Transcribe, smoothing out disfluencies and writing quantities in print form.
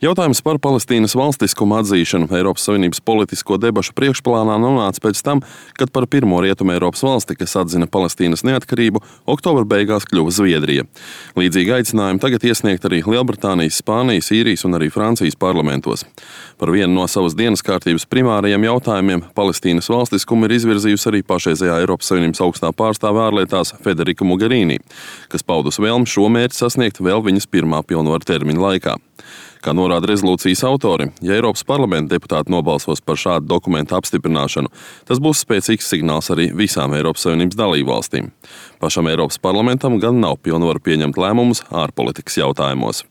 Jautājums par Palestīnas valstiskumu atzīšanu Eiropas Savienības politisko debašu priekšplānā nonāca pēc tam, kad par pirmo Rietumē Eiropas valsti, kas atzina Palestīnas neatkarību, oktobra beigās kļuva Zviedrija. Līdzīgi aicinājumi tagad iesniegt arī Lielbritānijas, Spānijas, Īrijas un arī Francijas parlamentos. Par vienu no savas dienas kārtības primārajiem jautājumiem Palestīnas valstiskumu ir izvirzījusi arī pašreizējā Eiropas Savienības augstā pārstāve ārlietās Federica Mogherini, kas paudus vēlmi šo mērķi sasniegt vēl viņas pirmā pilnvaru termiņa laikā. Kā norāda rezolūcijas autori, ja Eiropas parlamenta deputāti nobalsos par šādu dokumentu apstiprināšanu, tas būs spēcīgs signāls arī visām Eiropas Savienības dalībvalstīm. Pašam Eiropas parlamentam gan nav pilnvaru pieņemt lēmumus ārpolitikas jautājumos.